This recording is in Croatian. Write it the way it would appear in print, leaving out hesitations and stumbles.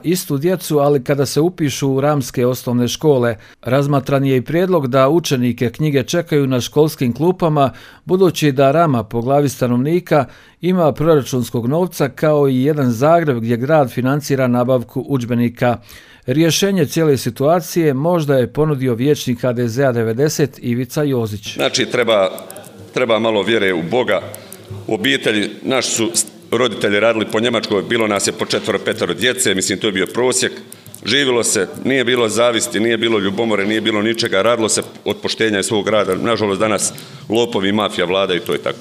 istu djecu, ali kada se upišu u ramske osnovne škole. Razmatran je i prijedlog da učenike knjige čekaju na školskim klupama, budući da Rama po glavi stanovnika ima proračunskog novca kao i jedan Zagreb gdje grad financira nabavku udžbenika. Rješenje cijele situacije možda je ponudio vijećnik HDZ-a 90 Ivica Jozić. Znači treba malo vjere u Boga, u obitelji. Naši su roditelji radili po Njemačkoj, bilo nas je po 4-5 djece, mislim to je bio prosjek. Živjelo se, nije bilo zavisti, nije bilo ljubomore, nije bilo ničega, radilo se od poštenja i svog rada. Nažalost danas lopovi i mafija vladaju, to je tako.